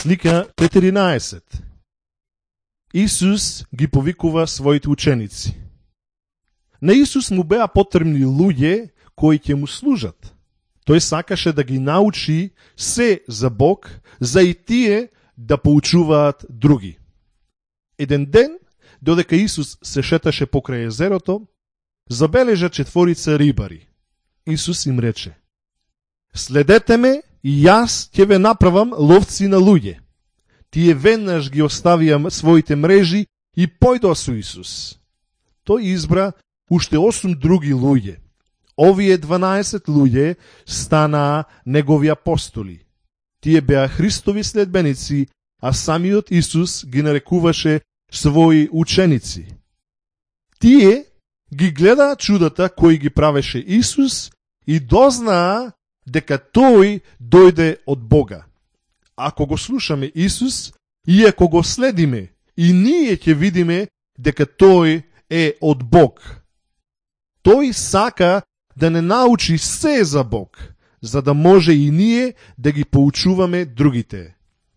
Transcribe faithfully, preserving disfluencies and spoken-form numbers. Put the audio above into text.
Слика четиринаесет. Исус ги повикува своите ученици. На Исус му беа потребни луѓе кои ќе му служат. Тој сакаше да ги научи се за Бог, за и тие да поучуваат други. Еден ден, додека Исус се шеташе покрај езерото, забележа четворица рибари. Исус им рече: "Следете ме и јас ќе ве направам ловци на луѓе." Тие веднаш ги оставија своите мрежи и појдоа со Исус. Тој избра уште осум други луѓе. Овие дванаесет луѓе станаа негови апостоли. Тие беа Христови следбеници, а самиот Исус ги нарекуваше своји ученици. Тие ги гледаа чудата кои ги правеше Исус и дознаа дека тој дојде од Бога. Ако го слушаме Исус и ако го следиме, и ние ќе видиме дека тој е од Бог. Тој сака да не научи се за Бог, за да може и ние да ги поучуваме другите.